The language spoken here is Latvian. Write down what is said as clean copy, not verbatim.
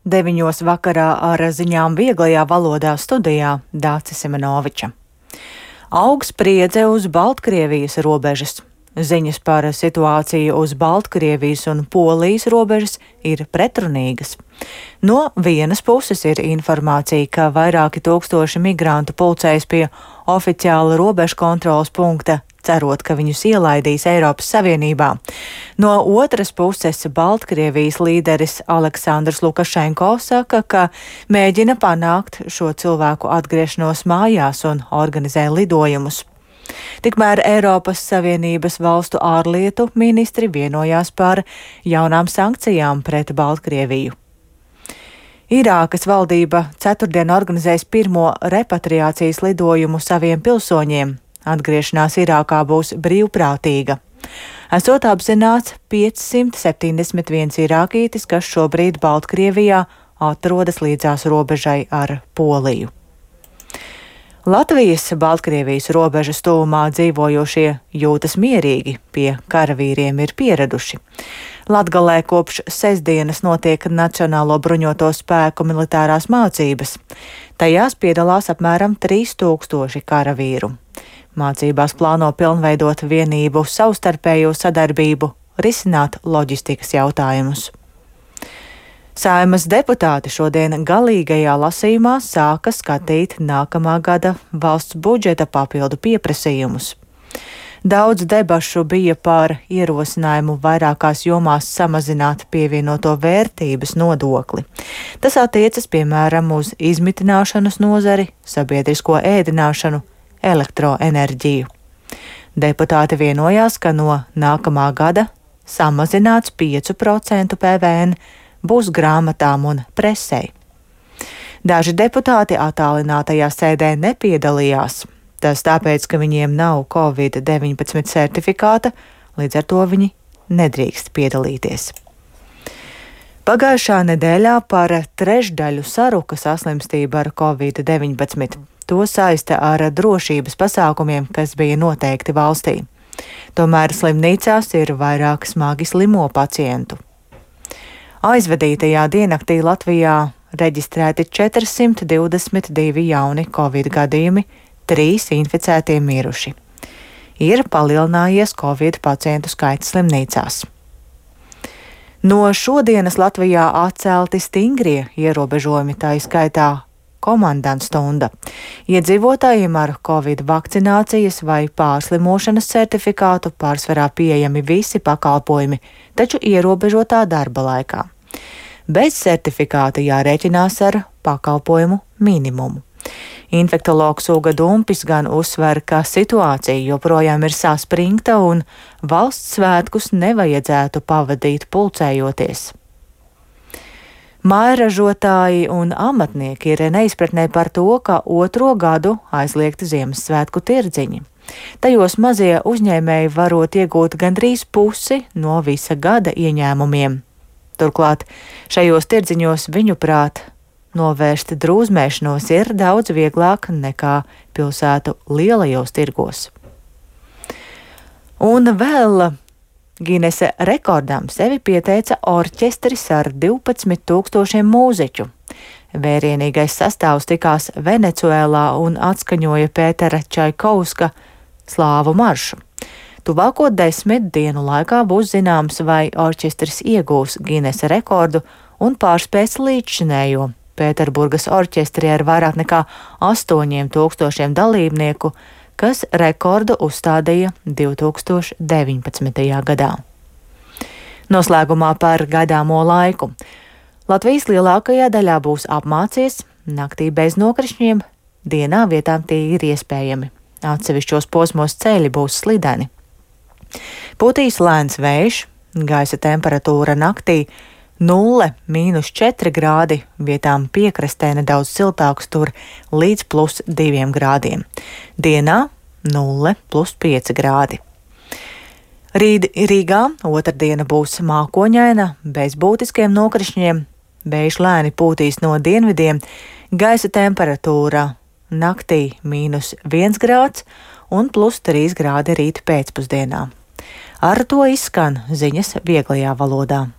9 vakarā ar ziņām vieglajā valodā studijā Dācis Semenoviča. Aug spriedze uz Baltkrievijas robežas. Ziņas par situāciju uz Baltkrievijas un Polijas robežas ir pretrunīgas. No vienas puses ir informācija, ka vairāki tūkstoši migrantu pulcējas pie oficiāla robežu kontrolas punkta, cerot, ka viņus ielaidīs Eiropas Savienībā. No otras puses Baltkrievijas līderis Aleksandrs Lukašenko saka, ka mēģina panākt šo cilvēku atgriešanos mājās un organizē lidojumus. Tikmēr Eiropas Savienības valstu ārlietu ministri vienojās par jaunām sankcijām pret Baltkrieviju. Irākas valdība ceturtdien organizēs pirmo repatriācijas lidojumu saviem pilsoņiem. Atgriešanās Irākā būs brīvprātīga. Esot apzināts 571 irākītis, kas šobrīd Baltkrievijā atrodas līdzās robežai ar Poliju. Latvijas Baltkrievijas robežas tuvumā dzīvojošie jūtas mierīgi, pie karavīriem ir pieraduši. Latgalē kopš sestdienas notiek Nacionālo bruņoto spēku militārās mācības. Tajās piedalās apmēram 3000 karavīru. Mācībās plāno pilnveidot vienību savstarpējo sadarbību, risināt loģistikas jautājumus. Saeimas deputāti šodien galīgajā lasījumā sāka skatīt nākamā gada valsts budžeta papildu pieprasījumus. Daudz debašu bija par ierosinājumu vairākās jomās samazināt pievienoto vērtības nodokli. Tas attiecas piemēram uz izmitināšanas nozari, sabiedrisko ēdināšanu, elektroenerģiju. Deputāti vienojās, ka no nākamā gada samazināts 5% PVN būs grāmatām un presei. Daži deputāti attālinātajā sēdē nepiedalījās. Tas tāpēc, ka viņiem nav Covid-19 certifikāta, līdz ar to viņi nedrīkst piedalīties. Pagājušā nedēļā par trešdaļu saruka saslimstība ar Covid-19. To saista ar drošības pasākumiem, kas bija noteikti valstī. Tomēr slimnīcās ir vairāk smagi slimo pacientu. Aizvadītajā diennaktī Latvijā reģistrēti 422 jauni Covid gadījumi, 3 inficētie miruši. Ir palielinājies Covid pacientu skaits slimnīcās. No šodienas Latvijā atcelti stingrie ierobežojumi, tā izskaitā komandantstunda. Iedzīvotājiem ar Covid vakcinācijas vai pārslimošanas certifikātu pārsvarā pieejami visi pakalpojumi, taču ierobežotā darba laikā. Bez certifikāta jārēķinās ar pakalpojumu minimumu. Infektologs Uga Dumpis gan uzsver, ka situācija joprojām ir saspringta un valsts svētkus nevajadzētu pavadīt pulcējoties. Mājražotāji un amatnieki ir neizpratnē par to, ka otro gadu aizliegti Ziemassvētku tirdziņi. Tajos mazie uzņēmēji varot iegūt gandrīz pusi no visa gada ieņēmumiem. Turklāt šajos tirdziņos viņuprāt novērst drūzmēšanos ir daudz vieglāk nekā pilsētu lielajos tirgos. Un vēl Ginesa rekordam sevi pieteica orķestris ar 12 000 mūziķu. Vērienīgais sastāvs tikās Venecuēlā un atskaņoja Pētera Čaikovska slāvu maršu. Tuvāko 10 dienu laikā būs zināms, vai orķestris iegūs Ginesa rekordu un pārspēs līdzšinējo Pēterburgas orķestri ar vairāk nekā 8000 dalībnieku, kas rekordu uzstādīja 2019. gadā. Noslēgumā par gaidāmo laiku. Latvijas lielākajā daļā būs apmācies, naktī bez nokrišņiem, dienā vietām tie ir iespējami. Atsevišķos posmos ceļi būs slideni. Putīs lēns vējš, gaisa temperatūra naktī 0–4 grādi, vietām piekrastē nedaudz siltāks tur līdz +2 grādiem. Dienā 0–5 grādi. Rīt Rīgā otrdiena būs mākoņaina, bez būtiskiem nokrišņiem, vējš lēni pūtīs no dienvidiem, gaisa temperatūra naktī -1 grāds un +3 grādi rīt pēcpusdienā. Ar to izskan ziņas vieglajā valodā.